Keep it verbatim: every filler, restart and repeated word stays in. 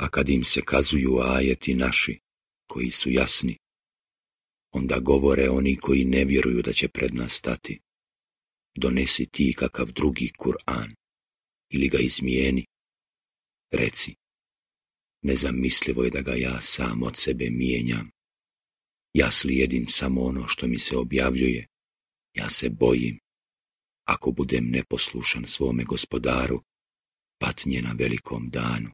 A kad im se kazuju ajeti naši, koji su jasni, onda govore oni koji ne vjeruju da će pred nas stati: donesi ti kakav drugi Kur'an, ili ga izmijeni. Reci: nezamislivo je da ga ja sam od sebe mijenjam. Ja slijedim samo ono što mi se objavljuje. Ja se bojim, ako budem neposlušan svome Gospodaru, patnje na velikom danu.